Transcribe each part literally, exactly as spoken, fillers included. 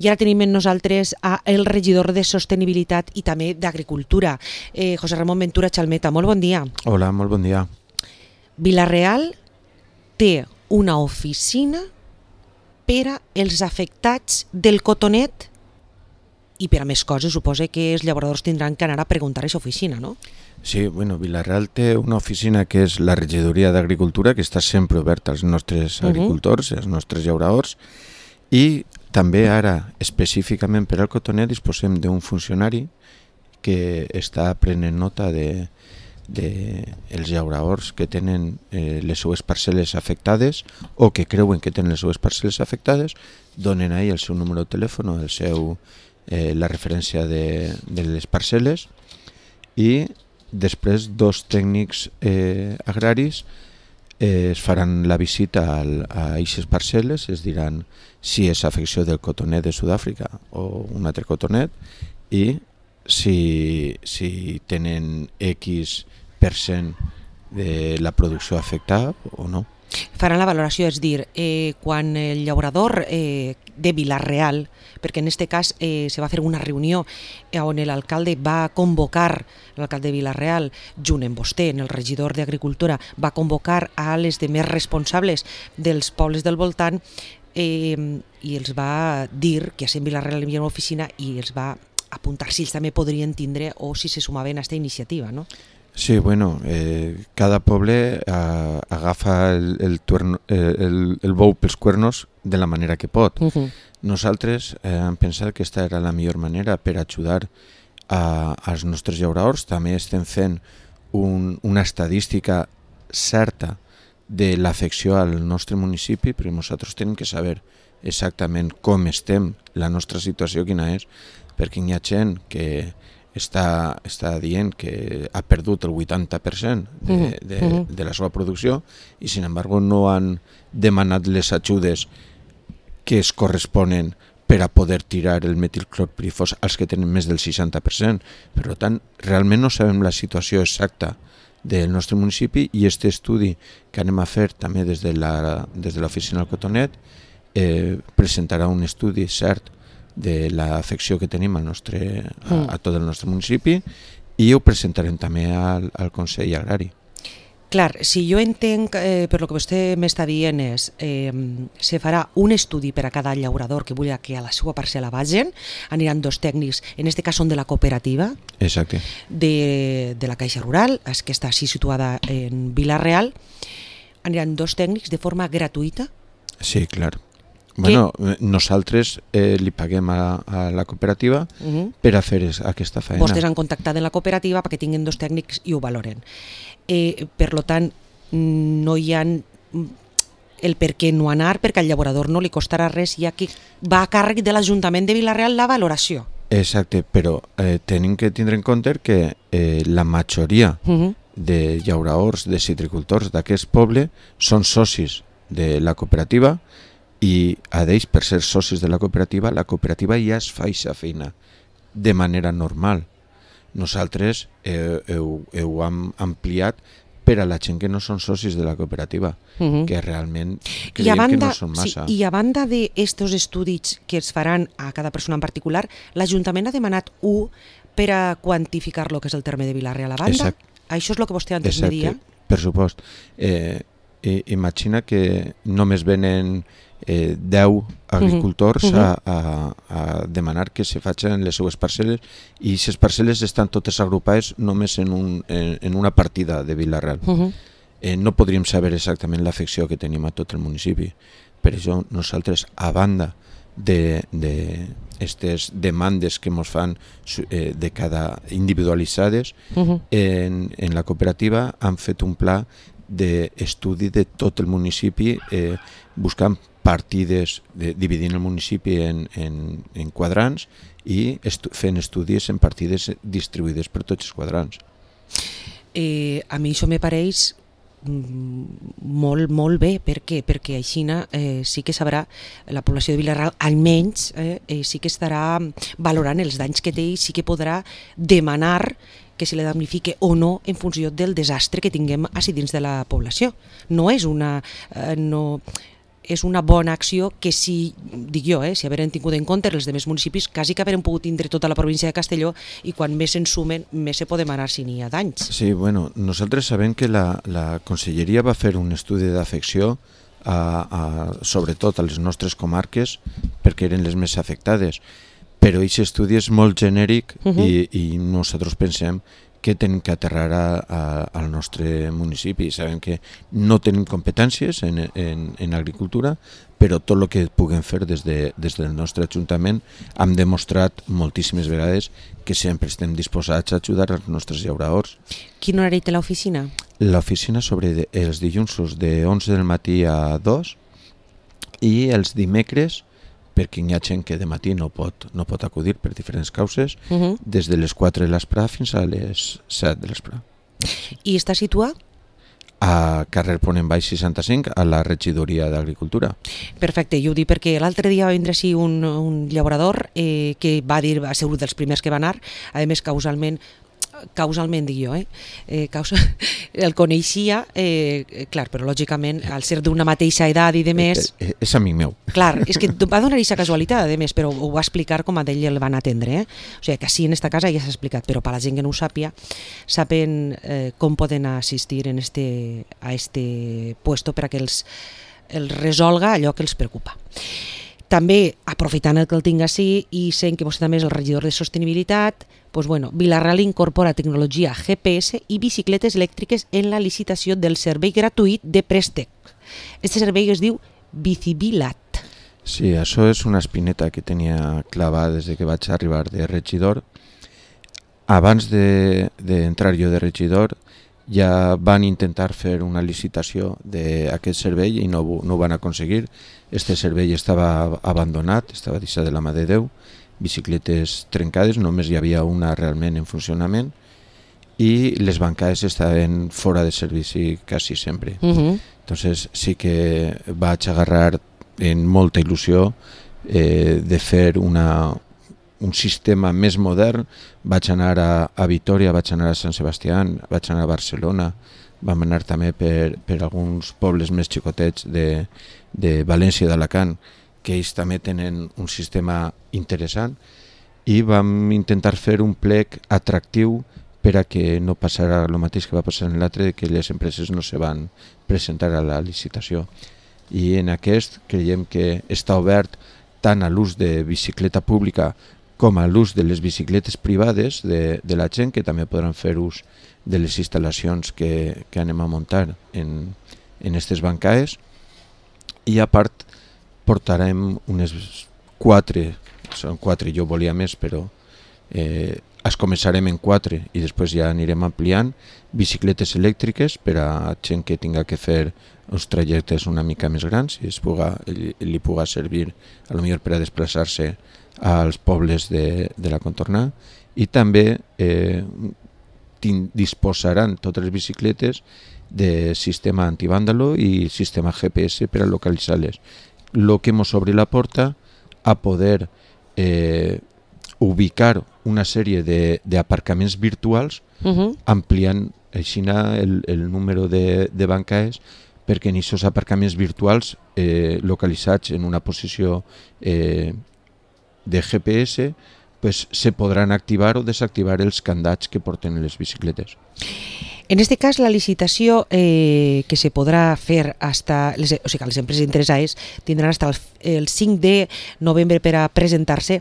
I ara tenim amb nosaltres a el regidor de Sostenibilitat i també d'Agricultura, eh, José Ramon Ventura Chalmeta. Molt bon dia. Hola, molt bon dia. Vila-real té una oficina per als afectats del cotonet i per a més coses suposa que els llauradors tindran que anar a preguntar a aquesta oficina, no? Sí, bueno, Vila-real té una oficina que és la regidoria d'Agricultura, que està sempre oberta als nostres uh-huh. agricultors, als nostres llauradors, i també ara, específicament per al cotonet, disposem d'un funcionari que està prenent nota de, de els llauradors que tenen eh, les seues parcel·les afectades o que creuen que tenen les seues parcel·les afectades, donen ahí el seu número de telèfon, el seu, eh, la referència de, de les parcel·les, i després dos tècnics eh, agraris eh, es faran la visita al, a aquestes parcel·les, es diran si és afecció del cotonet de Sud-àfrica o un altre cotonet i si, si tenen X per cent de la producció afectada o no. Faran la valoració, és dir, eh, quan el llaurador eh, de Vila-real, perquè en aquest cas eh, se va fer una reunió on l'alcalde va convocar, l'alcalde de Vila-real, junt amb vostè, en el regidor d'Agricultura, va convocar a les demés responsables dels pobles del voltant eh, i els va dir que a Vila-real hi havia una oficina i els va apuntar si ells també podrien tindre o si se sumaven a aquesta iniciativa, no? Sí, bueno, eh, cada poble eh, agafa el, el, tuerno, eh, el, el bou pels cuernos de la manera que pot. Uh-huh. Nosaltres eh, hem pensat que aquesta era la millor manera per ajudar a, als nostres llauradors. També estem fent un, una estadística certa de l'afecció al nostre municipi, perquè nosaltres tenim que saber exactament com estem, la nostra situació quina és, perquè hi ha gent que està, està dient que ha perdut el vuitanta per cent de, de, de la seva producció i, sin embargo, no han demanat les ajudes que es corresponen per a poder tirar el metilclorpirifos als que tenen més del seixanta per cent. Per tant, realment no sabem la situació exacta del nostre municipi i aquest estudi que anem a fer també des de la, des de l'oficina del cotonet eh, presentarà un estudi cert de l'afecció que tenim al nostre, a, a tot el nostre municipi i ho presentarem també al, al Consell Agrari. Clar, si jo entenc, eh, per lo que vostè m'està dient és, eh, se farà un estudi per a cada llaurador que vulgui que a la seva parcel·la vagin, aniran dos tècnics, en aquest cas són de la cooperativa, exacte, de, de la Caixa Rural, que està així situada en Vila-real, aniran dos tècnics de forma gratuïta? Sí, clar. Bueno, nosaltres eh, li paguem a, a la cooperativa uh-huh. per a fer es, aquesta feina. Vostès han contactat en la cooperativa perquè tinguin dos tècnics i ho valoren. Eh, per tant, no hi ha el per què no anar, perquè al llaurador no li costarà res, ja que va a càrrec de l'Ajuntament de Vila-real la valoració. Exacte, però eh, tenim que tindre en compte que eh, la majoria uh-huh. de llauradors, de citricultors d'aquest poble són socis de la cooperativa i a d'ells, per ser socis de la cooperativa, la cooperativa ja es fa aquesta feina de manera normal. Nosaltres eh, heu, heu ampliat per a la gent que no són socis de la cooperativa, uh-huh. que realment creiem banda, que no són massa. Sí, I a banda d'estos estudis que es faran a cada persona en particular, l'Ajuntament ha demanat u per a quantificar lo que és el terme de Vila-real a banda? Exacte. Això és el que vostè antes me dia? Per supost. Eh, eh, imagina que només venen Eh, deu agricultors uh-huh. a, a, a demanar que se facin les seues parcel·les i aquestes parcel·les estan totes agrupades només en, un, en, en una partida de Vila-real. Uh-huh. Eh, no podríem saber exactament l'afecció que tenim a tot el municipi. Per això nosaltres, a banda de, de aquestes demandes que ens fan eh, de cada individualitzades, uh-huh. en, en la cooperativa han fet un pla d'estudi de tot el municipi eh, buscant partides, de, dividint el municipi en, en, en quadrants i estu fent estudis en partides distribuïdes per tots els quadrants. Eh, a mi això me pareix molt, molt bé. Per què? Perquè així eh, sí que sabrà la població de Vila-real, almenys eh, eh, sí que estarà valorant els danys que té i sí que podrà demanar que se li damnifique o no en funció del desastre que tinguem així dins de la població. No és una... Eh, no, és una bona acció que si, dic jo, eh, si hagueren tingut en compte els demés municipis, quasi que hagueren pogut tindre tota la província de Castelló i quan més se'n sumen, més se podem anar si n'hi ha danys. Sí, bueno, nosaltres sabem que la, la Conselleria va fer un estudi d'afecció a, a, sobretot a les nostres comarques perquè eren les més afectades, però aquest estudi és molt genèric uh -huh. i, i nosaltres pensem que tenim que aterrar a, a, al nostre municipi. Sabem que no tenim competències en, en, en agricultura, però tot el que puguem fer des, de, des del nostre Ajuntament hem demostrat moltíssimes vegades que sempre estem disposats a ajudar els nostres llauradors. Quin horari té l'oficina? L'oficina sobre els dilluns de onze del matí a dos i els dimecres, perquè hi ha gent que de matí no pot, no pot acudir per diferents causes, uh -huh. des de les quatre de l'esprà fins a les set de l'esprà. I està situat? A carrer Ponent Baix seixanta-cinc, a la regidoria d'Agricultura. Perfecte, jo ho dic perquè l'altre dia va vindre així un, un llaurador eh, que va dir, va ser un dels primers que va anar, a més causalment, causalment dic jo, eh? Eh, causa, el coneixia, eh, clar, però lògicament al ser d'una mateixa edat i de més... És, és amic meu. Clar, és que va donar aquesta casualitat, a més, però ho va explicar com a d'ell el van atendre, eh? O sigui, que sí, en esta casa ja s'ha explicat, però per la gent que no ho sàpia, saben eh, com poden assistir en este, a este puesto per a que els, els resolga allò que els preocupa. També, aprofitant el que el tinc així i sent que vostè també és el regidor de sostenibilitat, pues bueno, Vila-real incorpora tecnologia G P S i bicicletes elèctriques en la licitació del servei gratuït de préstec. Este servei es diu Bicibilat. Sí, això és una espineta que tenia clavada des de que vaig arribar de regidor. Abans d'entrar de, de jo de regidor ja van intentar fer una licitació d'aquest servei i no, no ho van aconseguir. Este servei estava abandonat, estava deixat de la mà de Déu, bicicletes trencades, només hi havia una realment en funcionament i les bancades estaven fora de servici quasi sempre. Uh -huh. Entonces sí que vaig agarrar en molta il·lusió eh, de fer una, un sistema més modern. Vaig anar a, a Vitoria, vaig anar a Sant Sebastián, vaig anar a Barcelona, vam anar també per, per alguns pobles més xicotets de, de València i d'Alacant, que ells també tenen un sistema interessant, i vam intentar fer un plec atractiu per a que no passara el mateix que va passar en l'altre, que les empreses no se van presentar a la licitació. I en aquest creiem que està obert tant a l'ús de bicicleta pública com a l'ús de les bicicletes privades de, de la gent, que també podran fer ús de les instal·lacions que, que anem a muntar en, en aquestes bancades. I a part portarem unes quatre, són quatre, jo volia més, però eh, es començarem en quatre i després ja anirem ampliant, bicicletes elèctriques per a gent que tinga que fer uns trajectes una mica més grans i es puga, li, li puga servir a lo millor per a desplaçar-se als pobles de, de la contornada, i també eh, disposaran totes les bicicletes de sistema antivàndalo i sistema G P S per a localitzar-les. Lo que ens obre la porta a poder eh, ubicar una sèrie d'aparcaments virtuals, uh-huh. ampliant així el, el número de, de bancades, perquè en aquests aparcaments virtuals eh, localitzats en una posició eh, de G P S, pues, se podran activar o desactivar els candats que porten les bicicletes. En este cas, la licitació eh, que se podrà fer hasta, les, o sigui, les empreses interessades tindran fins el, el cinc de novembre per a presentar-se.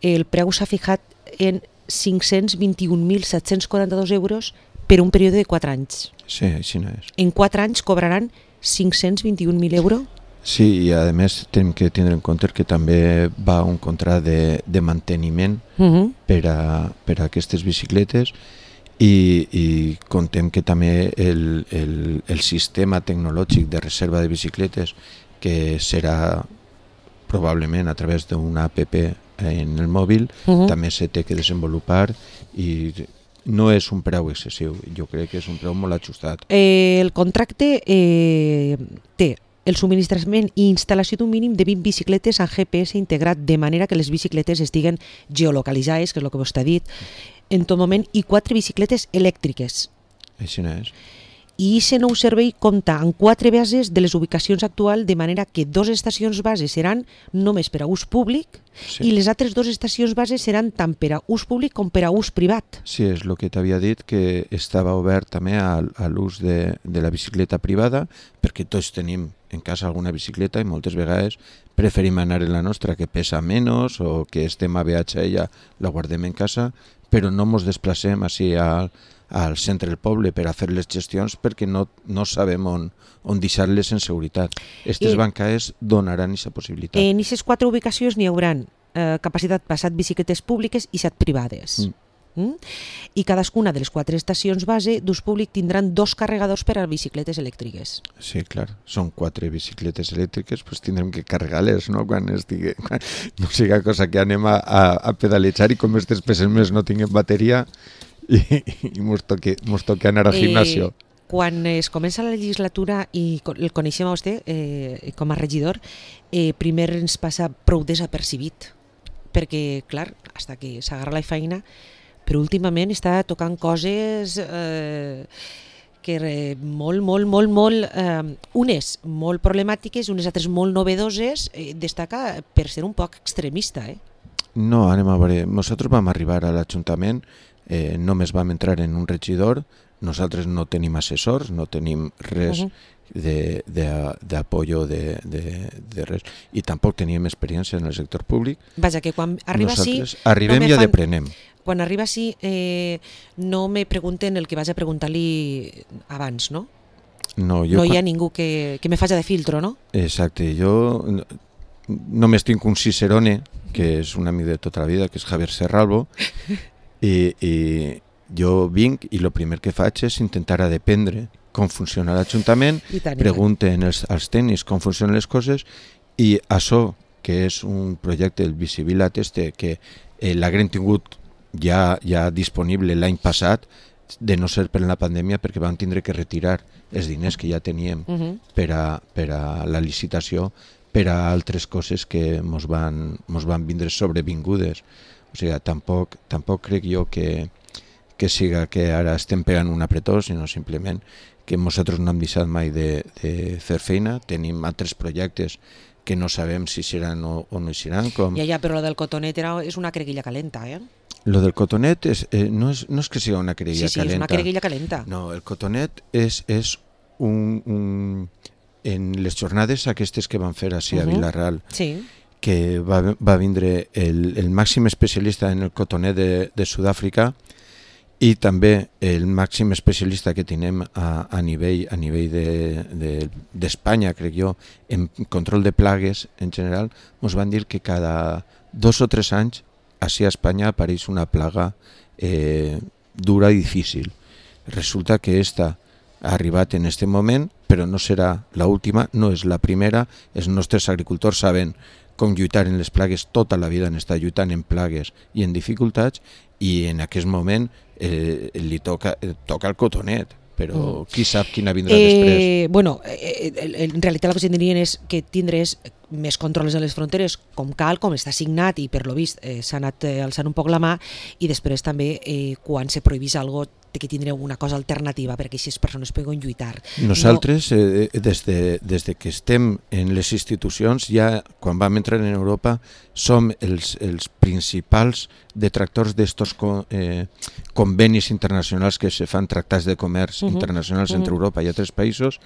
El preu s'ha fijat en cinc-cents vint-i-un mil set-cents quaranta-dos euros per un període de quatre anys. Sí, així no és. En quatre anys cobraran cinc-cents vint-i-un mil euros? Sí, i a més tenim que tindre en compte que també va un contracte de, de manteniment uh-huh. per, a, per a aquestes bicicletes, i, i contem que també el, el, el sistema tecnològic de reserva de bicicletes, que serà probablement a través d'una app en el mòbil, uh-huh. també se té que desenvolupar, i no és un preu excessiu, jo crec que és un preu molt ajustat. Eh, el contracte eh, té el subministrament i instal·lació d'un mínim de vint bicicletes amb G P S integrat, de manera que les bicicletes estiguen geolocalitzades, que és el que vostè ha dit, en tot moment, i quatre bicicletes elèctriques. Així no és. i aquest nou servei compta amb quatre bases de les ubicacions actuals, de manera que dues estacions base seran només per a ús públic sí. i les altres dues estacions base seran tant per a ús públic com per a ús privat. Sí, és el que t'havia dit, que estava obert també a, a l'ús de, de la bicicleta privada, perquè tots tenim en casa alguna bicicleta i moltes vegades preferim anar en la nostra, que pesa menys o que estem a viatge i ja la guardem en casa, però no ens desplacem així al, al centre del poble per a fer les gestions perquè no, no sabem on, on deixar-les en seguretat. Aquestes eh, bancaes donaran aquesta possibilitat. En aquestes quatre ubicacions n'hi haurà eh, capacitat per set bicicletes públiques i set privades. Mm. Mm? I cadascuna de les quatre estacions base d'ús públic tindran dos carregadors per a bicicletes elèctriques. Sí, clar, són quatre bicicletes elèctriques, doncs tindrem que carregar-les, no? Quan, estigui, quan no siga cosa que anem a, a, a pedalejar i com aquestes peces més no tinguem bateria i, i mos toque, mos toque anar al eh, gimnasio. Quan es comença la legislatura i el coneixem a vostè eh, com a regidor, eh, primer ens passa prou desapercibit, perquè, clar, fins que s'agarra la feina, però últimament està tocant coses eh, que eh, molt, molt, molt, molt, eh, unes molt problemàtiques, unes altres molt novedoses, eh, destaca per ser un poc extremista. Eh? No, anem a veure, nosaltres vam arribar a l'Ajuntament, eh, només vam entrar en un regidor, nosaltres no tenim assessors, no tenim res uh-huh. de, de, d'apoyo de, de, de res, i tampoc teníem experiència en el sector públic. Vaja, que quan arriba nosaltres així... arribem no i fan... aprenem. Quan arriba així, eh, no me pregunten el que vaig a preguntar-li abans, no? No, jo no hi ha quan... ningú que, que me faci de filtro, no? Exacte, jo només tinc un cicerone, que és un amic de tota la vida, que és Javier Serralbo, i, i jo vinc i el primer que faig és intentar dependre com funciona l'Ajuntament, pregunten els, als tècnics com funcionen les coses, i això, que és un projecte del Bicivilat este, que eh, l'haguem tingut ja, ja disponible l'any passat, de no ser per la pandèmia, perquè vam tindre que retirar els diners que ja teníem uh-huh. per, a, per a la licitació, per a altres coses que mos van, mos van vindre sobrevingudes. O sigui, tampoc, tampoc crec jo que, que siga que ara estem pegant un apretó, sinó simplement que nosaltres no hem deixat mai de, de fer feina, tenim altres projectes que no sabem si seran o, o no seran. Com... Ja, ja, però la del cotonet era, és una creguilla calenta, eh? Lo del cotonet és, eh, no, és, no és que sigui una creguilla sí, sí, calenta. Sí, és una creguilla calenta. No, el cotonet és, és un, un... En les jornades aquestes que van fer així uh-huh. a Vila-real, sí. que va, va vindre el, el màxim especialista en el cotonet de, de Sud-àfrica i també el màxim especialista que tenim a, a nivell, a nivell d'Espanya, de, de, crec jo, en control de plagues en general, ens van dir que cada dos o tres anys així a Espanya apareix una plaga eh, dura i difícil. Resulta que esta ha arribat en aquest moment, però no serà l'última, no és la primera. Els nostres agricultors saben com lluitar en les plagues, tota la vida han estat lluitant en plagues i en dificultats, i en aquest moment eh, li toca, eh, toca el cotonet, però qui sap quina vindrà eh, després. Bueno, eh, en realitat el que tindrien és que tindrés més controls a les fronteres, com cal, com està signat, i per lo vist eh, s'ha anat eh, alçant un poc la mà, i després també eh, quan se prohibís alguna cosa que tindreu una cosa alternativa perquè aquestes persones puguin lluitar. Nosaltres, no... eh, des, de, des de que estem en les institucions, ja quan vam entrar en Europa, som els, els principals detractors d'estos eh, convenis internacionals que se fan, tractats de comerç uh-huh. internacionals uh-huh. entre Europa i altres països,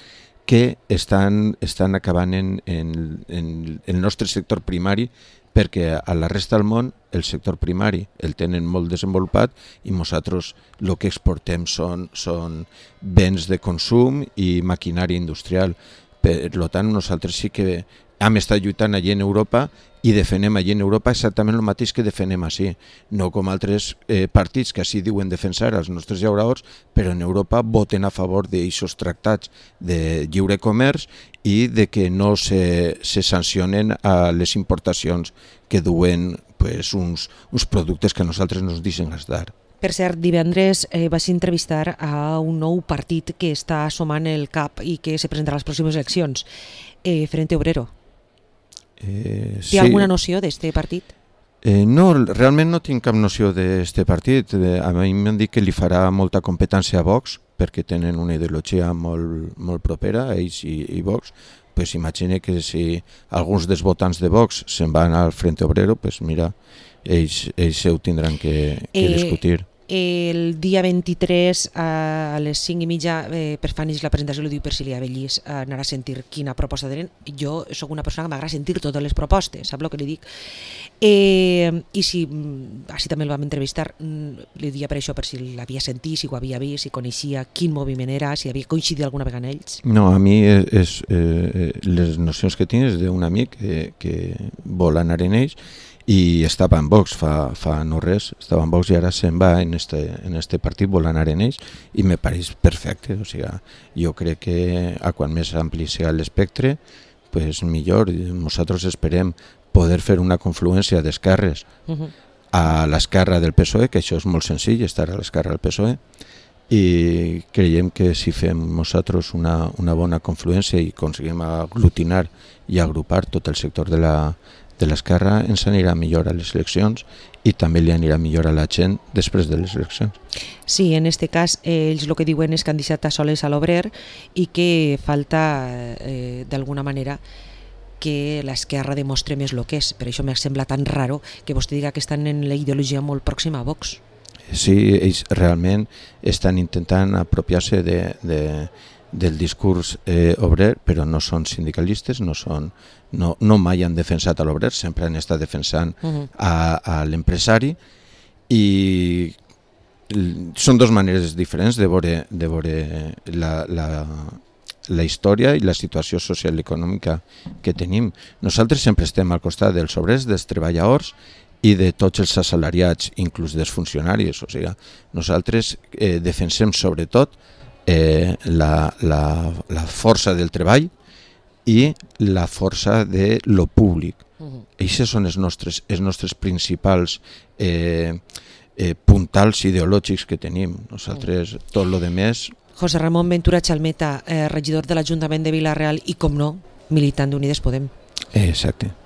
que estan, estan acabant en, en, en el nostre sector primari, perquè a la resta del món el sector primari el tenen molt desenvolupat i nosaltres el que exportem són, són béns de consum i maquinària industrial. Per tant, nosaltres sí que hem estat lluitant allí en Europa i defenem allí en Europa exactament el mateix que defenem així, no com altres eh, partits que així diuen defensar els nostres llauradors, però en Europa voten a favor d'aixos tractats de lliure comerç i de que no se, se sancionen a les importacions que duen pues, uns, uns productes que a nosaltres no ens deixen gastar. Per cert, divendres eh, vas entrevistar a un nou partit que està assomant el cap i que se presentarà a les pròximes eleccions, eh, Frente Obrero. Eh, Té sí. alguna noció d'este partit? Eh, no, realment no tinc cap noció d'este partit. Eh, a mi m'han dit que li farà molta competència a Vox, perquè tenen una ideologia molt, molt propera, ells i, i Vox, pues imagine que si alguns dels votants de Vox se'n van al Frente Obrero, pues mira, ells, ells ho tindran que, que Eh, discutir. El dia vint-i-tres a les cinc i mitja eh, per Fanis la presentació, ho diu per si li avellís, anar a sentir quina proposta tenen. Jo sóc una persona que m'agrada sentir totes les propostes, sap el que li dic? Eh, I si, així també el vam entrevistar, li dia per això, per si l'havia sentit, si ho havia vist, si coneixia quin moviment era, si havia coincidit alguna vegada amb ells. No, a mi és, és, eh, les nocions que tinc és d'un amic que, que vol anar en ells i estava en Vox fa, fa no res, estava en Vox i ara se'n va en este, en este partit, vol anar en ells i me pareix perfecte, o sigui, jo crec que a quan més ampli sigui l'espectre, pues millor. Nosaltres esperem poder fer una confluència d'esquerres uh-huh. a l'esquerra del P S O E, que això és molt senzill, estar a l'esquerra del P S O E, i creiem que si fem nosaltres una, una bona confluència i aconseguim aglutinar i agrupar tot el sector de la de l'esquerra, ens anirà millor a les eleccions i també li anirà millor a la gent després de les eleccions. Sí, en aquest cas eh, ells el que diuen és que han deixat a soles a l'obrer i que falta eh, d'alguna manera que l'esquerra demostre més el que és. Per això m'ha semblat tan raro que vostè diga que estan en la ideologia molt pròxima a Vox. Sí, ells realment estan intentant apropiar-se de, de, del discurs eh, obrer, però no són sindicalistes, no són no, no mai han defensat a l'obrer, sempre han estat defensant uh-huh. a, a l'empresari i són dues maneres diferents de veure, de veure la, la, la història i la situació social i econòmica que tenim. Nosaltres sempre estem al costat dels obrers, dels treballadors i de tots els assalariats, inclús dels funcionaris. O sigui, nosaltres eh, defensem sobretot eh, la, la, la força del treball i la força de lo públic. Uh-huh. Eixes són els nostres, els nostres principals eh, eh, puntals ideològics que tenim. Nosaltres, uh-huh. tot lo de més... José Ramón Ventura Chalmeta, eh, regidor de l'Ajuntament de Vila-real i, com no, militant d'Unides Podem. Eh, exacte.